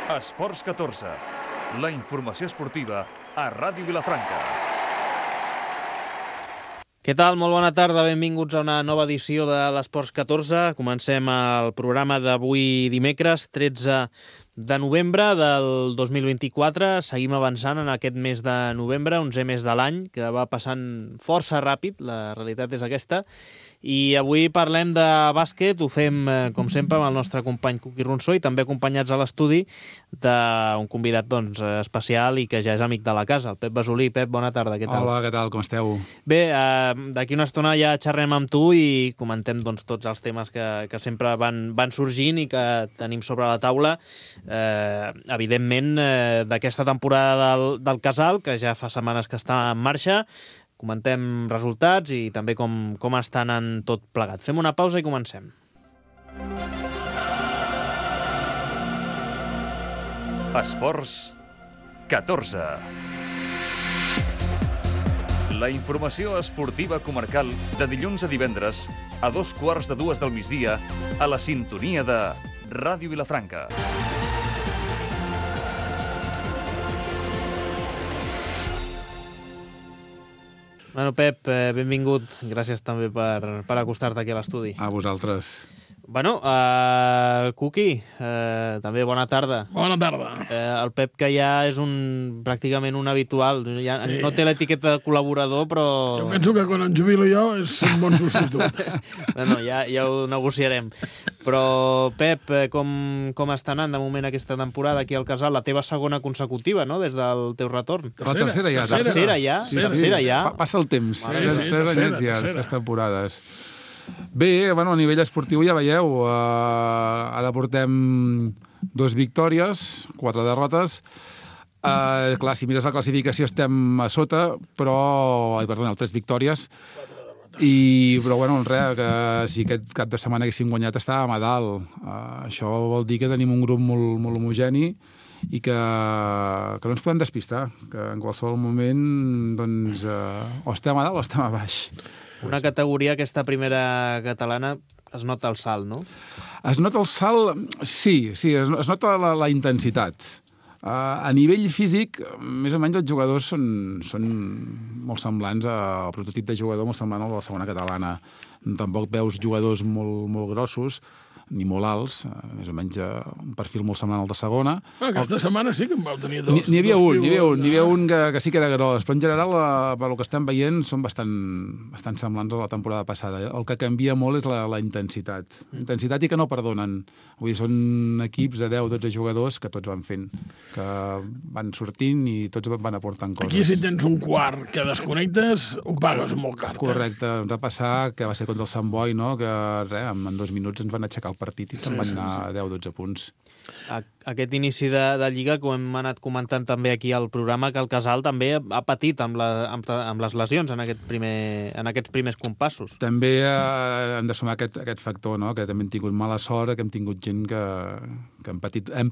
Esports 14, la informació esportiva a Ràdio Vilafranca. Què tal? Molt bona tarda, benvinguts a una nova edició de l'Esports 14. Comencem el programa d'avui dimecres, 13 de novembre del 2024. Seguim avançant en aquest mes de novembre, 11è mes de l'any, que va passant força ràpid, la realitat és aquesta. I avui parlem de bàsquet, ho fem, com sempre, amb el nostre company Cuqui Ronsó i també acompanyats a l'estudi d'un convidat especial i que ja és amic de la casa, el Pep Basolí. Pep, bona tarda, què tal? Hola, què tal, com esteu? Bé, d'aquí una estona ja xerrem amb tu i comentem tots els temes que sempre van sorgint i que tenim sobre la taula. Evidentment, d'aquesta temporada del Casal, que ja fa setmanes que està en marxa. Comentem resultats i també com està anant tot plegat. Fem una pausa i comencem. Esports 14. La informació esportiva comarcal de dilluns a divendres a 2:15 del migdia a la sintonia de Ràdio Vilafranca. Bueno, Pep, benvingut. Gràcies també per acostar-te aquí a l'estudi. A vosaltres. Bueno, Cuqui, també bona tarda. Bona tarda. El Pep, que ja és pràcticament un habitual. Ja sí. No té l'etiqueta de col·laborador, però... Jo penso que quan em jubilo jo és un bon substitut. No, ja ho negociarem. Però, Pep, com està anant de moment aquesta temporada aquí al Casal? La teva segona consecutiva, no?, des del teu retorn. La tercera ja. Tercera ja. Passa el temps. Tres anyets ja, 3 temporades. Bé, bueno, a nivell esportiu ja veieu, ara portem 2 victòries, 4 derrotes. Clar, si mires la classificació estem a sota, però... Perdona, 3 victòries. Però, bueno, res, que si aquest cap de setmana haguéssim guanyat estàvem a dalt. Això vol dir que tenim un grup molt homogeni i que no ens podem despistar, que en qualsevol moment doncs, o estem a dalt o estem a baix. Una categoria, aquesta primera catalana, es nota el salt, no? Es nota el salt, sí, es nota la intensitat. A nivell físic, més o menys els jugadors són molt semblants al prototip de jugador, molt semblant al de la segona catalana. Tampoc veus jugadors molt grossos, ni molt alts, més o menys un perfil molt semblant al de segona. Aquesta setmana sí que en vau tenir dos. N'hi havia un que sí que era gros, però en general, pel que estem veient, són bastant semblants a la temporada passada. El que canvia molt és la intensitat. Intensitat i que no perdonen. Vull dir, són equips de 10-12 jugadors que tots van fent, que van sortint i tots van aportant coses. Aquí, si tens un quart que desconnectes, ho pagues molt car. Correcte. Ens va passar que va ser contra el Sant Boi, no?, que en 2 minuts ens van aixecar el partit i se'n van anar 10-12 punts. Aquest inici de Lliga, com hem anat comentant també aquí al programa, que el Casal també ha patit amb les lesions en aquests primers compassos. També hem de sumar aquest factor, no?, que també hem tingut mala sort, que hem tingut gent que hem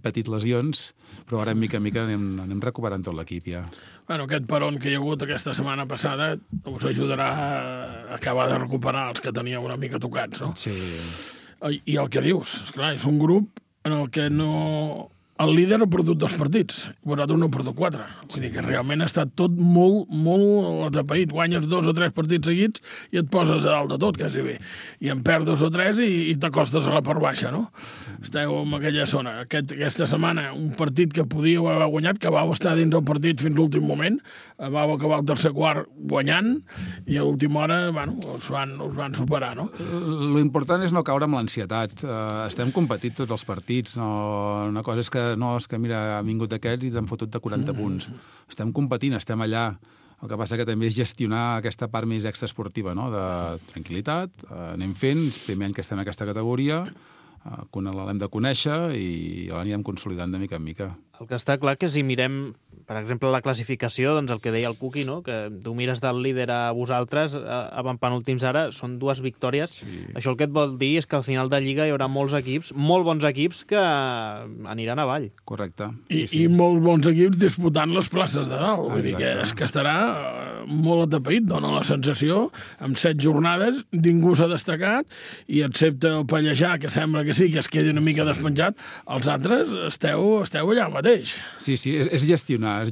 patit lesions, però ara mica en mica anem recuperant tot l'equip ja. Bueno, aquest peron que hi ha hagut aquesta setmana passada us ajudarà a acabar de recuperar els que teníeu una mica tocats, no? Sí. I el que dius, esclar, és un grup en el que no... El líder ha perdut 2 partits, vosaltres no ha perdut 4. Vull dir que realment ha estat tot molt atapeït. Guanyes 2 o 3 partits seguits i et poses a dalt de tot, quasi bé. I en perds 2 o 3 i t'acostes a la part baixa, no? Esteu en aquella zona. Aquesta setmana, un partit que podíeu haver guanyat, que vau estar dins del partit fins l'últim moment, vau acabar el tercer quart guanyant i a l'última hora, bueno, us van superar, no? Lo important és no caure amb l'ansietat. Estem competint tots els partits. Una cosa és que mira, ha vingut d'aquests i t'han fotut de 40 punts. Estem competint, estem allà. El que passa que també és gestionar aquesta part més extraesportiva, no?, de tranquil·litat. Anem fent, primer any que estem en aquesta categoria, l'hem de conèixer i l'anirem consolidant de mica en mica. El que està clar que si mirem, per exemple, la classificació, doncs el que deia el Cuqui, no? Que tu mires del líder a vosaltres, avant penúltims ara, són 2 victòries. Sí. Això el que et vol dir és que al final de Lliga hi haurà molts equips, molt bons equips, que aniran avall. Correcte. I molts bons equips disputant les places de dalt. Vull dir que és que estarà molt atapeït, dona la sensació, amb 7 jornades, ningú s'ha destacat, i excepte el Pallejà, que sembla que sí, que es quedi una mica despenjat, els altres esteu allà mateix. Sí, és gestionar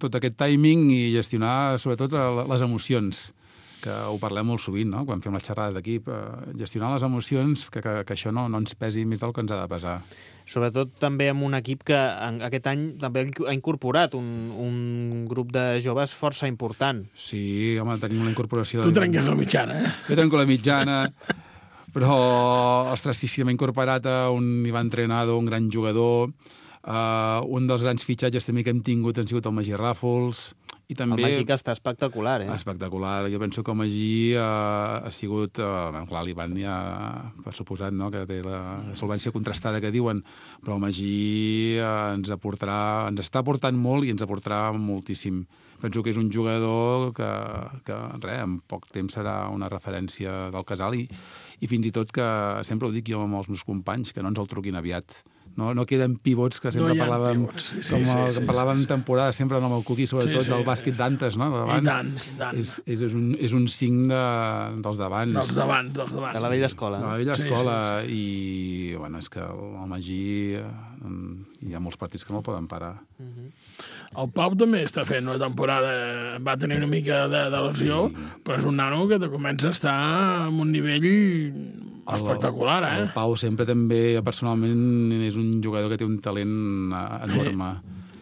tot aquest timing i gestionar, sobretot, les emocions, que ho parlem molt sovint, no?, quan fem les xerrades d'equip. Gestionar les emocions, que això no ens pesi més del que ens ha de pesar. Sobretot també amb un equip que aquest any també ha incorporat un grup de joves força important. Sí, home, tenim una incorporació... Tu trenques la mitjana, eh? Jo trenco la mitjana, però, ostres, sí, m'ha incorporat un Ivan Trenado, un gran jugador. Un dels grans fitxatges també que hem tingut han sigut el Magí Ràfols. I també... El Magí que està espectacular, eh? Espectacular. Jo penso que el Magí ha sigut... clar, l'Ivan ja, per suposat, no?, que té la solvència contrastada que diuen, però el Magí ens està aportant molt i ens aportarà moltíssim. Penso que és un jugador que en poc temps serà una referència del casal i fins i tot que, sempre ho dic jo amb els meus companys, que no ens el truquin aviat. No queden pivots que sempre parlàvem, parlàvem temporada, sempre amb el Cuqui, sobretot del bàsquet d'antes, no? I tant. És un signe dels d'abans. Dels d'abans. De la vella escola. De la vella escola. I, bueno, és que el Magí hi ha molts partits que no el poden parar. El Pau també està fent una temporada, va tenir una mica de lesió, però és un nano que comença a estar en un nivell espectacular, eh? El Pau sempre també, personalment, és un jugador que té un talent enorme.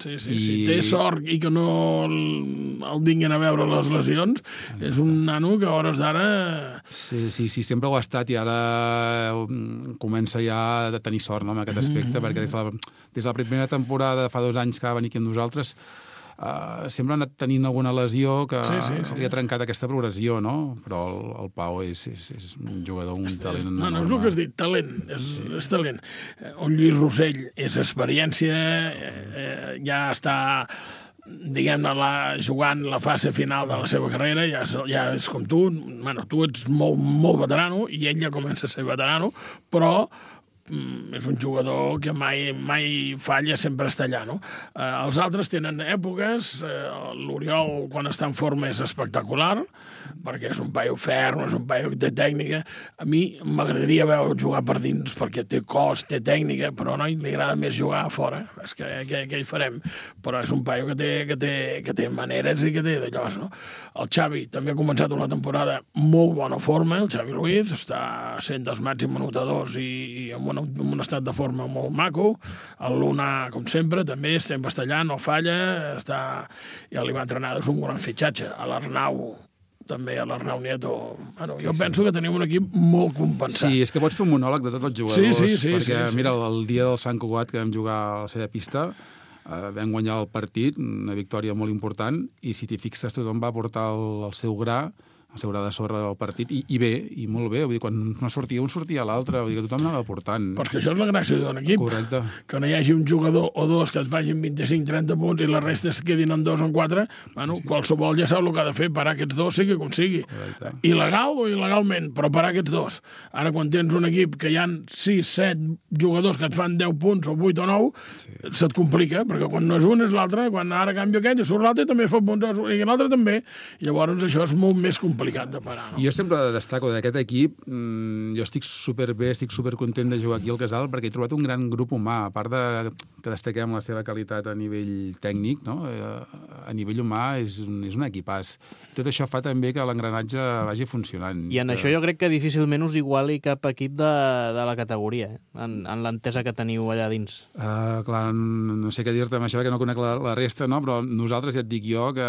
Sí. Té sort i que no el vinguin a veure les lesions. És un nano que a hores d'ara... Sí, sempre ho ha estat i ara comença ja a tenir sort, no?, en aquest aspecte, perquè des de la primera temporada, fa 2 anys que va venir aquí amb nosaltres, sempre ha anat tenint alguna lesió que li ha trencat aquesta progressió, no? Però el Pau és un jugador, un talent enorme. No és el que has dit, talent, és talent. Un Lluís Rossell és experiència, ja està, diguem-ne, jugant la fase final de la seva carrera, ja és com tu, tu ets molt veterano i ell ja comença a ser veterano, però és un jugador que mai falla, sempre està allà, no? Els altres tenen èpoques, l'Oriol, quan està en forma, és espectacular, perquè és un paio ferm, és un paio que té tècnica. A mi m'agradaria veure jugar per dins, perquè té cos, té tècnica, però a noi li agrada més jugar a fora. És que què hi farem? Però és un paio que té maneres i que té d'allò, no? El Xavi també ha començat una temporada molt bona forma, el Xavi Luiz, està sent dels màxims anotadors i amb un estat de forma molt maco. El Luna, com sempre, també estem bastallant, no falla, i l'Ivan Trenado és un gran fitxatge. A l'Arnau també, a l'Arnau Nieto. Jo penso que tenim un equip molt compensat. Sí, és que pots fer un monòleg de tots els jugadors, perquè, mira, el dia del Sant Cugat que vam jugar a la seva pista, vam guanyar el partit, una victòria molt important, i si t'hi fixes tothom va portar el seu gra, el seu gra de sorra del partit, i bé, i molt bé. Vull dir, quan no sortia un, sortia l'altre. Vull dir que tothom anava portant. Però és que això és la gràcia d'un equip. Correcte. Que no hi hagi un jugador o dos que et facin 25-30 punts i la resta es quedin en 2 o en 4. Qualsevol ja sap el que ha de fer, parar aquests 2, sigui com sigui. Correcte. Il·legal o il·legalment, però parar aquests 2. Ara, quan tens un equip que hi ha 6-7 jugadors que et fan 10 punts o 8 o 9, se't complica, perquè quan no és un és l'altre, quan ara canvia aquest i surt l'altre també fa punts, i l'altre també. I llavors això és molt més complicat de parar, no? Jo sempre destaco d'aquest equip, jo estic superbé, estic supercontent de jugar aquí al Casal perquè he trobat un gran grup humà, a part de que destaquem la seva qualitat a nivell tècnic, no? A nivell humà és un equipàs. Tot això fa també que l'engranatge vagi funcionant. I en això jo crec que difícilment us iguali cap equip de la categoria, en l'entesa que teniu allà dins. Clar, no sé què dir-te amb això, que no conec la resta, no? Però nosaltres ja et dic jo que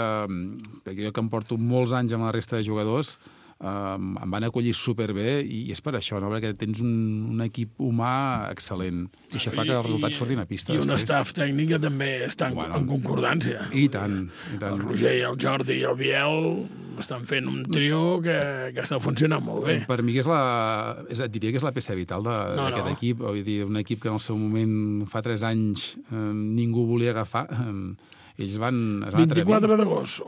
jo que em porto molts anys amb la resta de jugadors, em van acollir superbé i és per això, no? Perquè tens un equip humà excel·lent i això fa que els resultats surtin a pista. I un staff tècnic que també està en concordància. I tant, i tant. El Roger, el Jordi i el Biel estan fent un trio que està funcionant molt bé. Per mi et diria que és la peça vital d'aquest equip. Vull dir, un equip que en el seu moment, fa 3 anys, ningú volia agafar. Ells van 24 d'agost.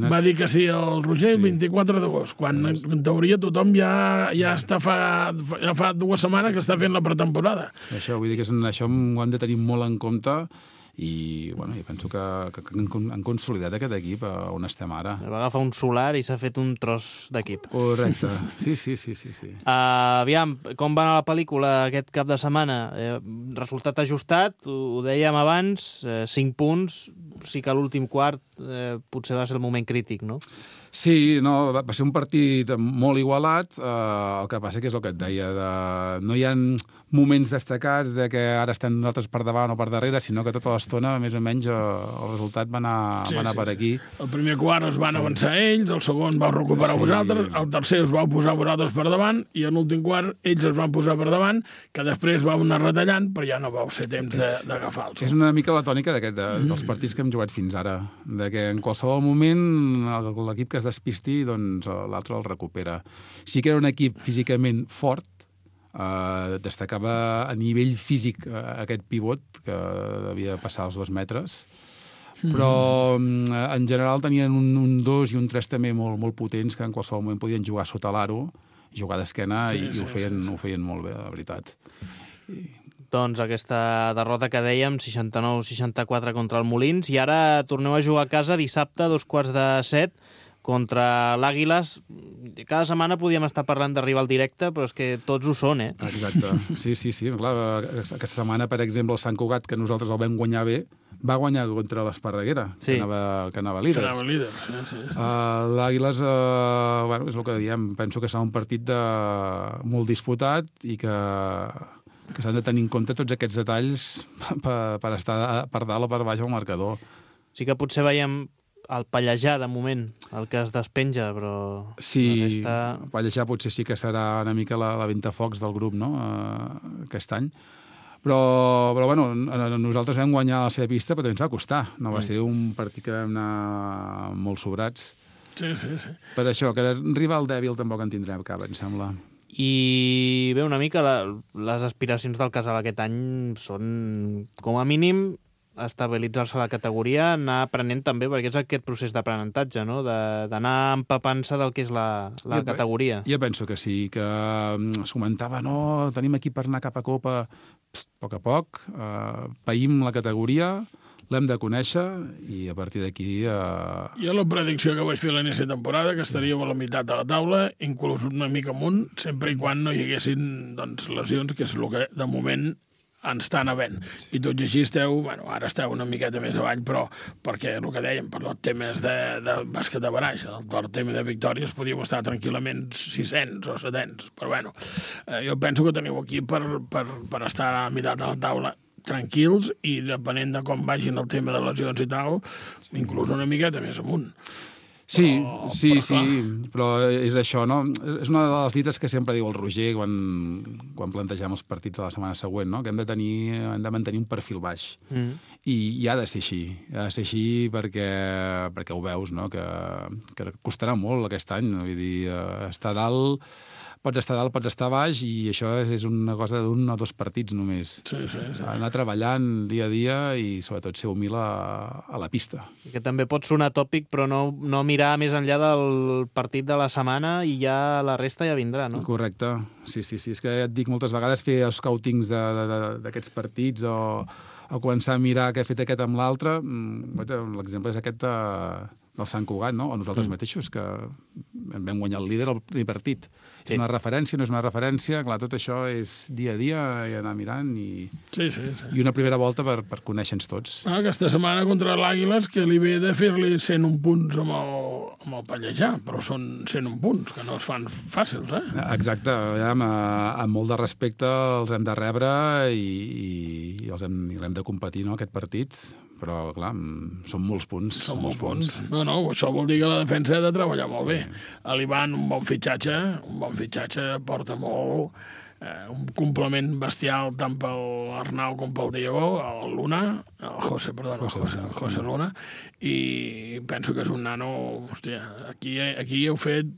Va dir que sí el Roger, el 24 d'agost, quan en teoria tothom ja està fa 2 setmanes que està fent la pretemporada. Això, vull dir que això ho hem de tenir molt en compte i penso que han consolidat aquest equip on estem ara. Va agafar un solar i s'ha fet un tros d'equip. Correcte, sí. Aviam, com va anar la pel·lícula aquest cap de setmana? Resultat ajustat, ho dèiem abans, 5 punts, sí que l'últim quart potser va ser el moment crític, no? Sí, no, va ser un partit molt igualat, el que passa que és el que et deia, no hi ha moments destacats de que ara estem nosaltres per davant o per darrere, sinó que tota l'estona, més o menys, el resultat va anar per aquí. El primer quart es van avançar ells, el segon vau recuperar vosaltres, el tercer us vau posar vosaltres per davant, i en l'últim quart ells es van posar per davant, que després vau anar retallant, però ja no vau ser temps d'agafar-los. És una mica la tònica dels partits que hem jugat fins ara, de que en qualsevol moment l'equip que es despisti, doncs l'altre el recupera. Sí que era un equip físicament fort, destacava a nivell físic aquest pivot, que devia passar els 2 metres, però en general tenien un 2 i un 3 també molt potents, que en qualsevol moment podien jugar sota l'aro, jugar d'esquena, i ho feien molt bé, la veritat. Doncs aquesta derrota que dèiem, 69-64 contra el Molins, i ara torneu a jugar a casa dissabte, 6:45, contra l'Àguiles. Cada setmana podíem estar parlant d'arribar al directe, però és que tots ho són, eh? Exacte, sí. Clar, aquesta setmana, per exemple, el Sant Cugat, que nosaltres el vam guanyar bé, va guanyar contra l'Esparreguera, que anava líder. Sí. L'Àguiles, és el que diem, penso que serà un partit molt disputat i que s'han de tenir en compte tots aquests detalls per estar per dalt o per baix al marcador. Sí que potser veiem el Pallejà, de moment, el que es despenja, però... Sí, el Pallejà potser sí que serà una mica la ventafocs del grup, no?, aquest any. Però nosaltres vam guanyar la seva pista, però també ens va costar. No va ser un partit que vam anar molt sobrats. Sí. Per això, que rival dèbil tampoc en tindrem cap, em sembla. I bé, una mica les aspiracions del Casal aquest any són, com a mínim, estabilitzar-se a la categoria, anar aprenent també, perquè és aquest procés d'aprenentatge, no?, d'anar empapant-se del que és la categoria. Jo penso que sí, que es comentava, no, tenim aquí per anar cap a Copa, a poc, païm la categoria, l'hem de conèixer i a partir d'aquí... Jo la predicció que vaig fer l'inici de temporada, que estaríeu a la meitat de la taula, inclús una mica amunt, sempre i quan no hi haguessin lesions, que és el que de moment ens estan havent. I tot i així ara esteu una miqueta més avall, però perquè el que dèiem, per els temes de bàsquet de baraix, per tema de victòries, podíeu estar tranquil·lament 600 o 700, però jo penso que teniu aquí per estar a la meitat de la taula tranquils i depenent de com vagin el tema de lesions i tal, inclús una miqueta més amunt. Sí, però és això, no? És una de les dites que sempre diu el Roger quan plantegem els partits de la setmana següent, no?, que hem de mantenir un perfil baix. I ha de ser així, perquè ho veus, no?, que costarà molt aquest any, vull dir, estar dalt, pots estar dalt, pots estar baix, i això és una cosa d'un o 2 partits només. Sí. Anar treballant dia a dia i sobretot ser humil a la pista. Que també pot sonar tòpic, però no mirar més enllà del partit de la setmana i ja la resta ja vindrà, no? Correcte, sí. És que ja et dic moltes vegades fer scoutings d'aquests partits o començar a mirar què ha fet aquest amb l'altre. L'exemple és aquest del Sant Cugat, no?, o nosaltres mateixos, que vam guanyar el líder al primer partit. Sí. És una referència, no és una referència, clar, tot això és dia a dia i anar mirant i una primera volta per conèixer-nos tots. Aquesta setmana contra l'Àguiles, que li ve de fer-li 101 punts amb el Pallejà, però són 101 punts, que no es fan fàcils, eh? Exacte, amb molt de respecte els hem de rebre i l'hem de competir, no?, aquest partit, però, clar, són molts punts. Són molts punts. No, això vol dir que la defensa ha de treballar molt bé. L'Ivan, un bon fitxatge, porta molt, un complement bestial tant pel Arnau com pel Diego, el Luna, el José Luna, i penso que és un nano, hòstia, aquí heu fet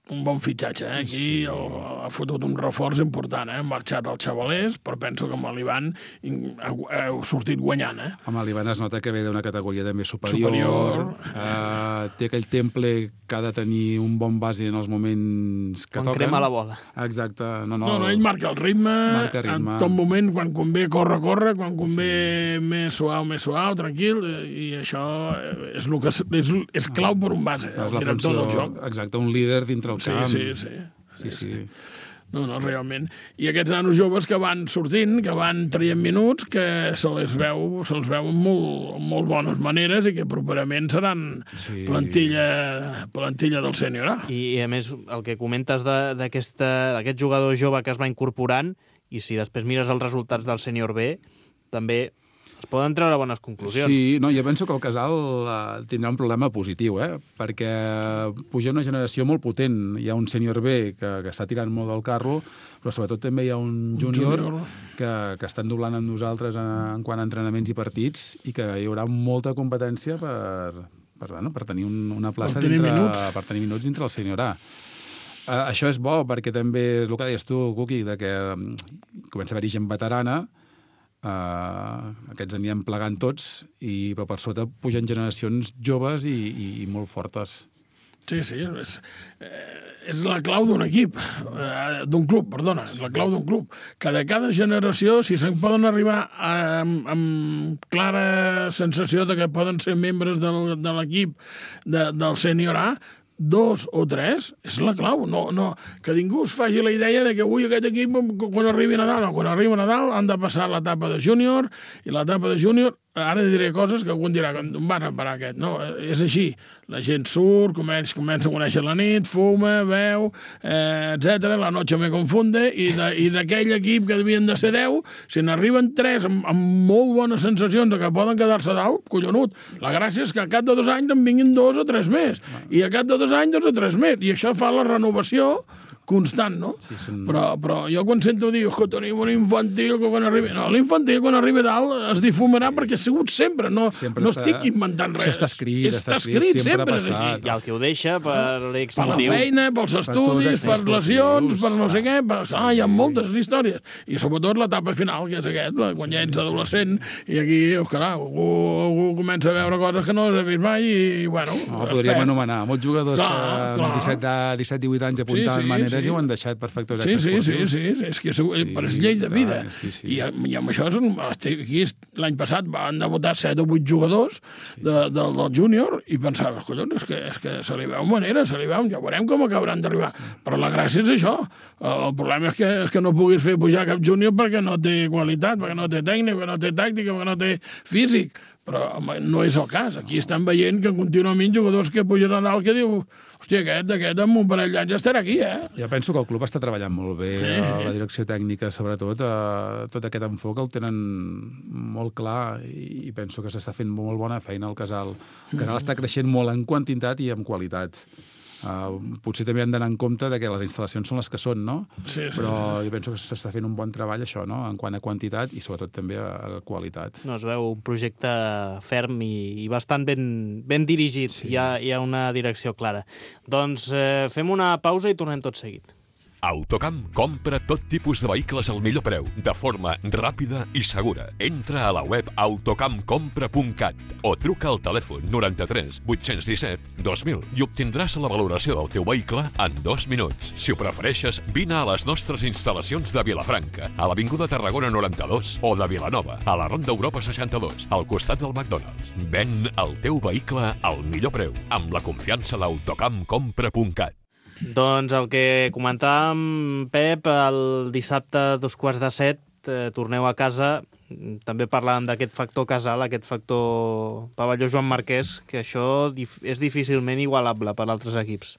un bon fitxatge, Aquí ha fotut un reforç important, Han marxat els xavalers, però penso que amb l'Ivan heu sortit guanyant, Amb l'Ivan es nota que ve d'una categoria també superior. Té aquell temple que ha de tenir un bon base en els moments que toquen. Quan crema la bola. Exacte. No, ell marca el ritme, en tot moment, quan convé, corre, quan convé més suau, tranquil, i això és clau per un base, el director del joc. Exacte, un líder dintre el camp. Sí. No, realment. I aquests nanos joves que van sortint, que van traient minuts, que se'ls veu amb molt bones maneres i que properament seran plantilla del sènior A. I a més, el que comentes d'aquest jugador jove que es va incorporant, i si després mires els resultats del sènior B, també es poden treure bones conclusions. Sí, jo penso que el Casal tindrà un problema positiu, perquè puja una generació molt potent. Hi ha un sènior B que està tirant molt del carro, però sobretot també hi ha un júnior que estan doblant amb nosaltres en quant a entrenaments i partits, i que hi haurà molta competència per tenir una plaça per tenir minuts dintre el sènior A. Això és bo, perquè també, el que deies tu, Cuqui, que comença a haver-hi gent veterana, aquests anirem plegant tots, però per sota pugen generacions joves i molt fortes. Sí, és la clau d'un equip, d'un club, és la clau d'un club, que de cada generació, si se'n poden arribar amb clara sensació de que poden ser membres de l'equip del sènior A, 2 o 3, és la clau. No, que ningú es faci la idea de que avui aquest equip, quan arribi Nadal han de passar l'etapa de júnior, i l'etapa de júnior, ara diré coses que algú dirà, on vas a parar aquest? No, és així. La gent surt, comença a conèixer la nit, fuma, beu, etc. La noche me confunde, i d'aquell equip que devien de ser 10, si n'arriben 3 amb molt bones sensacions de que poden quedar-se dalt, collonut. La gràcia és que al cap de 2 anys en vinguin 2 o 3 més, i al cap de 2 anys 2 o 3 més, i això fa la renovació constant, no? Sí, però jo quan sento dir que tenim un infantil que quan arribi... No, l'infantil quan arribi dalt es difumarà perquè ha sigut sempre, no estic inventant res. Està escrit, sempre és així. I el que ho deixa per l'ex motiu. Per la feina, pels estudis, per lesions, per no sé què... Hi ha moltes històries. I sobretot l'etapa final, que és quan ja ets adolescent, i aquí, algú comença a veure coses que no has vist mai i, bueno... Podríem anomenar molts jugadors que amb 17-18 anys apuntaven maneres i ho han deixat per factors esportius. Sí, és que és llei de vida. I amb això, aquí l'any passat van debutar 7 o 8 jugadors del júnior i pensava, collons, és que se li veu manera, ja veurem com acabaran d'arribar. Però la gràcia és això. El problema és que no puguis fer pujar cap júnior perquè no té qualitat, perquè no té tècnica, perquè no té tàctica, perquè no té físic. Però no és el cas. Aquí estan veient que contínuament jugadors que pugen a dalt que diu, hòstia, aquest amb un parell d'anys ja estarà aquí, Jo penso que el club està treballant molt bé, la direcció tècnica, sobretot, tot aquest enfoc el tenen molt clar i penso que s'està fent molt bona feina al Casal. El Casal està creixent molt en quantitat i en qualitat. Potser també han d'anar en compte que les instal·lacions són les que són, no? Però jo penso que s'està fent un bon treball, això, no? En quant a quantitat i sobretot també a qualitat. Es veu un projecte ferm i bastant ben dirigit. Hi ha una direcció clara. Doncs fem una pausa i tornem tot seguit. Autocamp compra tot tipus de vehicles al millor preu, de forma ràpida i segura. Entra a la web autocampcompra.cat o truca al telèfon 93 817 2000 i obtindràs la valoració del teu vehicle en 2 minuts. Si ho prefereixes, vine a les nostres instal·lacions de Vilafranca, a l'Avinguda Tarragona 92, o de Vilanova, a la Ronda Europa 62, al costat del McDonald's. Ven el teu vehicle al millor preu, amb la confiança d'autocampcompra.cat. Doncs el que comentàvem, Pep, el dissabte a 7:15 torneu a casa. També parlàvem d'aquest factor casal, aquest factor pavelló Joan Marquès, que això és difícilment igualable per altres equips.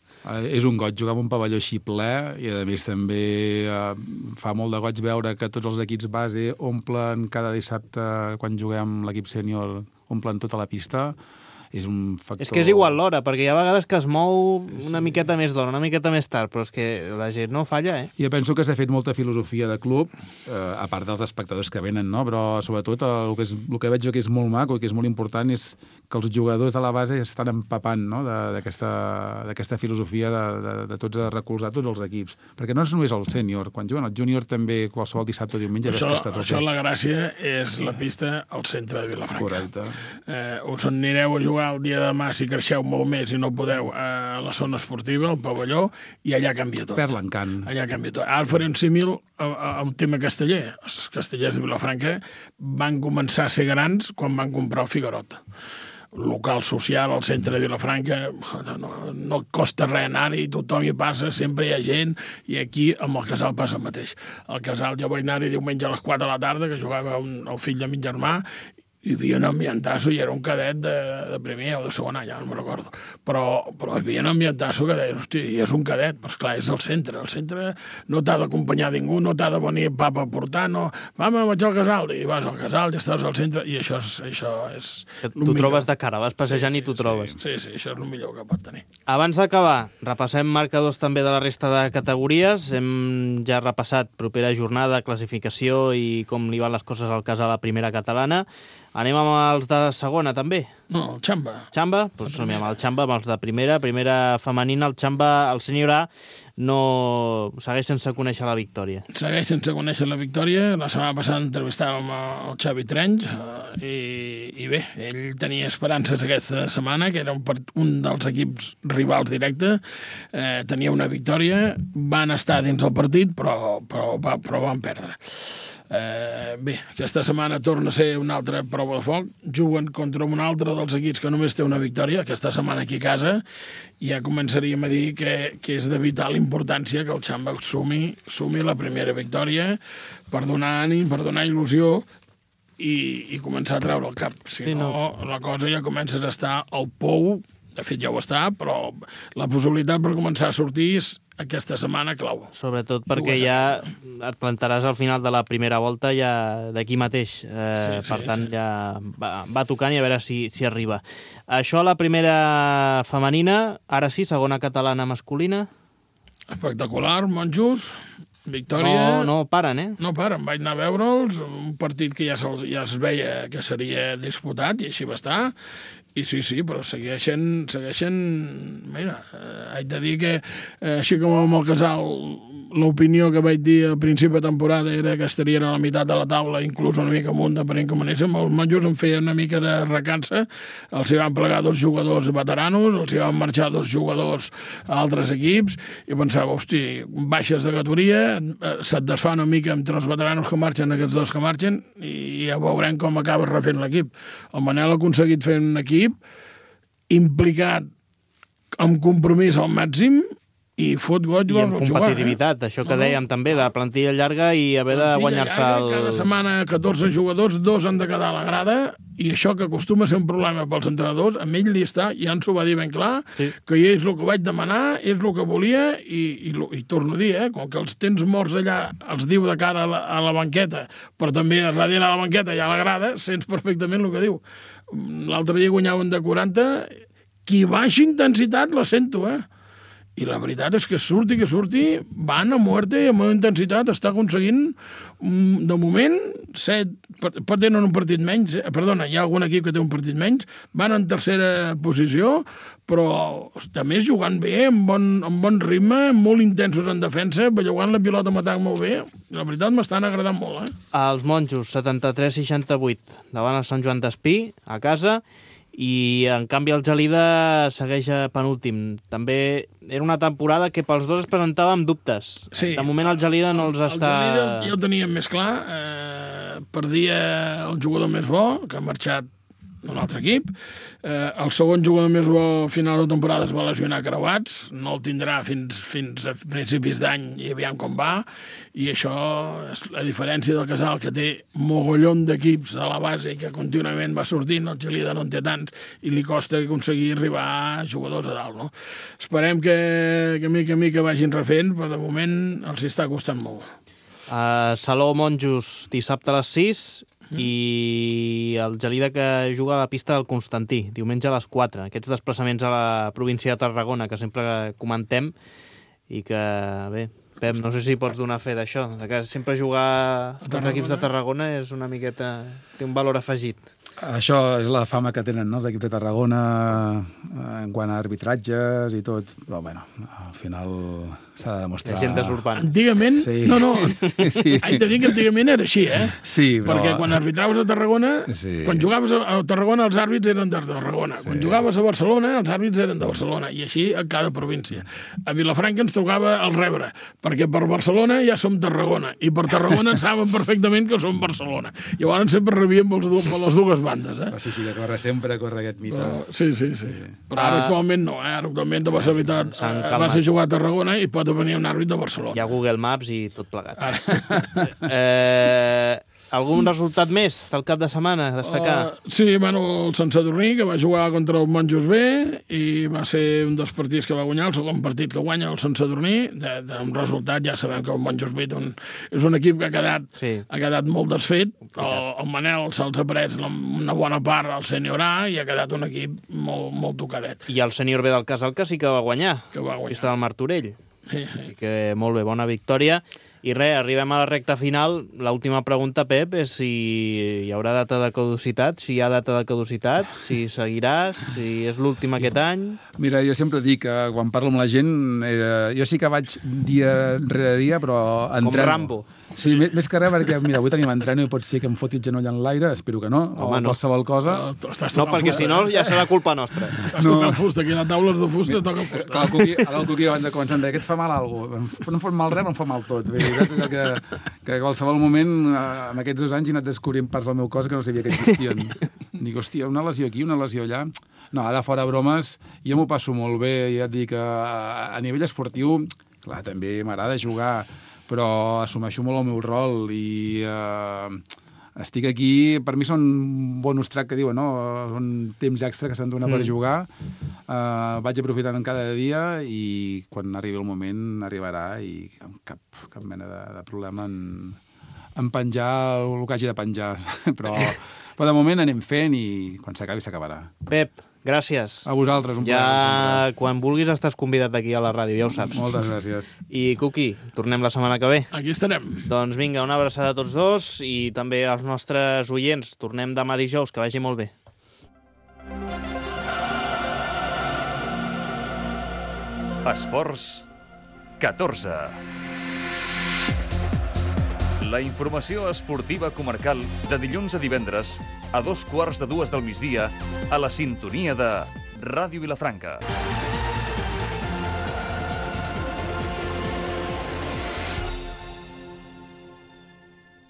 És un goig jugar amb un pavelló així ple i, a més, també fa molt de goig veure que tots els equips base omplen cada dissabte, quan juguem l'equip sènior, omplen tota la pista. És un factor... És que és igual l'hora, perquè hi ha vegades que es mou una miqueta més d'hora, una miqueta més tard, però és que la gent no falla, Jo penso que s'ha fet molta filosofia de club, a part dels espectadors que venen, no? Però sobretot el que veig jo que és molt maco i que és molt important és que els jugadors de la base estan empapant, no? d'aquesta filosofia de tots a recolzar tots els equips. Perquè no és només el sènior, quan juguen el júnior també qualsevol dissabte o diumenge ves que està tot. Això la gràcia és la pista al centre de Vilafranca. Correcte. Us anireu a jugar el dia de demà, si creixeu molt més i no podeu, a la zona esportiva, al pavelló, i allà canvia tot. Perd l'encant. Allà canvia tot. Ara faré un símil a un tema casteller. Els castellers de Vilafranca van començar a ser grans quan van comprar el Figuerot. Local social al centre de Vilafranca, no costa res anar-hi, tothom hi passa, sempre hi ha gent, i aquí amb el Casal passa el mateix. Al Casal jo vaig anar-hi diumenge a les 4 de la tarda, que jugava el fill de min germà, hi havia un ambientasso i era un cadet de primer o de segon any, no me'n recordo. Però hi havia un ambientasso que deia, hosti, i és un cadet, però esclar, és el centre. El centre no t'ha d'acompanyar ningú, no t'ha de venir papa a portar, no. Mama, vaig al Casal, i vas al Casal, ja estàs al centre, i això és Tu trobes de cara, vas passejant i t'ho trobes. Sí, això és el millor que pot tenir. Abans d'acabar, repassem marcadors també de la resta de categories. Hem ja repassat propera jornada, classificació i com li van les coses al Casal a la primera catalana. Anem amb els de segona, també? No, el Xamba. Xamba? Doncs som amb el Xamba, amb els de primera femenina. El Xamba, el sènior A, no segueix sense conèixer la victòria. Segueix sense conèixer la victòria. La setmana passada entrevistàvem el Xavi Trenys i bé, ell tenia esperances aquesta setmana, que era un dels equips rivals directe. Tenia una victòria, van estar dins el partit, però van perdre. Bé, aquesta setmana torna a ser una altra prova de foc. Juguen contra un altre dels equips que només té una victòria, aquesta setmana aquí a casa, i ja començaríem a dir que és de vital importància que el Xamba sumi la primera victòria per donar ànim, per donar il·lusió i començar a treure el cap. Si no, la cosa ja comences a estar al pou. De fet, ja ho està, però la possibilitat per començar a sortir és aquesta setmana clau. Sobretot perquè ja et plantaràs al final de la primera volta ja d'aquí mateix. Per tant, ja va tocant i a veure si arriba. Això a la primera femenina, ara sí, segona catalana masculina. Espectacular, monjos. Victòria... No paren, No paren, vaig anar a veure'ls, un partit que ja es veia que seria disputat, i així va estar, i sí, però segueixen... Mira, haig de dir que, així com amb el Casal, l'opinió que vaig dir al principi de temporada era que estarien a la meitat de la taula, inclús una mica amunt, depenent com anéssim. Els monjos em feien una mica de recança, els hi van plegar 2 jugadors veteranos, els hi van marxar 2 jugadors a altres equips, i pensava, hosti, baixes de categoria, se't desfà una mica entre els veteranos que marxen, aquests 2 que marxen, i ja veurem com acabes refent l'equip. El Manel ha aconseguit fer un equip implicat amb compromís al màxim, i fot goig i amb competitivitat, això que dèiem també, de plantilla llarga i haver de guanyar-se el... Cada setmana 14 jugadors, 2 han de quedar a la grada, i això que acostuma a ser un problema pels entrenadors, amb ell li està, ja ens ho va dir ben clar, que és el que vaig demanar, és el que volia, i torno a dir, com que els tens morts allà, els diu de cara a la banqueta, però també a darrere a la banqueta i a la grada, sents perfectament el que diu. L'altre dia guanyaven de 40, qui baixa intensitat la sento, I la veritat és que surti, van a muerte, amb una intensitat, està aconseguint, de moment, 7, tenen un partit menys, perdona, hi ha algun equip que té un partit menys, van en tercera posició, però a més jugant bé, amb bon ritme, molt intensos en defensa, bellugant la pilota amb atac molt bé, la veritat m'estan agradant molt, Els monjos, 73-68, davant el Sant Joan d'Espí, a casa, i en canvi el Gelida segueix penúltim. També era una temporada que pels dos es presentava amb dubtes. Sí. De moment el Gelida no els està... El Gelida ja ho teníem més clar. Perdia el jugador més bo, que ha marxat d'un altre equip. El segon jugador més bo a final de temporada es va lesionar creuats, no el tindrà fins a principis d'any i aviam com va, i això és la diferència del Casal, que té mogollon d'equips a la base i que contínuament va sortint, el Gelida no en té tants i li costa aconseguir arribar a jugadors a dalt, no? Esperem que mica en mica vagin refent, però de moment els està costant molt. Salou Monjos dissabte a les 6 i el Gelida que juga a la pista del Constantí, diumenge a les 4. Aquests desplaçaments a la província de Tarragona que sempre comentem i que, bé, Pep, no sé si pots donar fe d'això, que sempre jugar als equips de Tarragona és una miqueta... té un valor afegit. Això és la fama que tenen, no?, els equips de Tarragona en quant a arbitratges i tot, però bueno, al final s'ha de demostrar... Hi ha gent desurbant. Antigament... Sí. No. Sí. Haig de dir que antigament era així, eh? Sí, però... Perquè quan arbitraves a Tarragona, Sí. Quan jugaves a Tarragona els àrbits eren de Tarragona. Quan jugaves a Barcelona els àrbits eren de Barcelona. I així a cada província. A Vilafranca ens tocava el rebre, perquè per Barcelona ja som Tarragona, i per Tarragona en saben perfectament que som Barcelona. Llavors sempre rebíem per les dues bandes, eh? Sí, que corre sempre, corre aquest mite. Sí. Però ara actualment no, eh? Ara actualment te vas a jugar a Tarragona i pot venir un àrbit de Barcelona. Hi ha Google Maps i tot plegat. Algun resultat més del cap de setmana a destacar? Sí, bueno, el Sant Sadurní, que va jugar contra el Monjos B i va ser un dels partits que va guanyar, el segon partit que guanya el Sant Sadurní. Un resultat, ja sabem que el Monjos B és un equip que ha quedat molt desfet. El Manel se'ls ha pres una bona part al sènior A i ha quedat un equip molt tocadet. I el sènior B del Casal que sí que va guanyar. Pista del Martorell. Sí. Que molt bé, bona victòria. I res, arribem a la recta final. L'última pregunta, Pep, és si hi haurà data de caducitat, si hi ha data de caducitat, si seguiràs, si és l'últim aquest any... Mira, jo sempre dic que quan parlo amb la gent, jo sí que vaig dia rere dia, però entreno. Com Rambo. Sí, més que res, perquè mira, avui tenim entreno i pot ser que em foti el genoll en l'aire, espero que no, home, o qualsevol cosa. No, perquè si no ja serà culpa nostra. Estàs tocant fusta, aquí a la taula és de fusta, toca fusta. Clar, el Cuqui abans de començar em deia que et fa mal alguna cosa. No em fot mal res, però em fa mal tot. Bé, que a qualsevol moment, en aquests 2 anys, he anat descobrint parts del meu cos que no sabia que existien. Dic, hòstia, una lesió aquí, una lesió allà... No, ara fora bromes, jo m'ho passo molt bé, ja et dic, a nivell esportiu, clar, també m'agrada jugar, però assumeixo molt el meu rol i estic aquí, per mi són bonus track que diuen, no? Són temps extra que s'han donat per jugar, vaig aprofitant en cada dia i quan arribi el moment arribarà i amb cap mena de problema en penjar el que hagi de penjar, però de moment anem fent i quan s'acabi s'acabarà. Pep, gràcies. A vosaltres, un plaer. Ja, quan vulguis, estàs convidat aquí a la ràdio, ja ho saps. Moltes gràcies. I, Cuqui, tornem la setmana que ve. Aquí estarem. Doncs vinga, una abraçada a tots dos i també als nostres oients. Tornem demà dijous, que vagi molt bé. Esports 14. La informació esportiva comarcal de dilluns a divendres a 2:15 del migdia a la sintonia de Ràdio Vilafranca.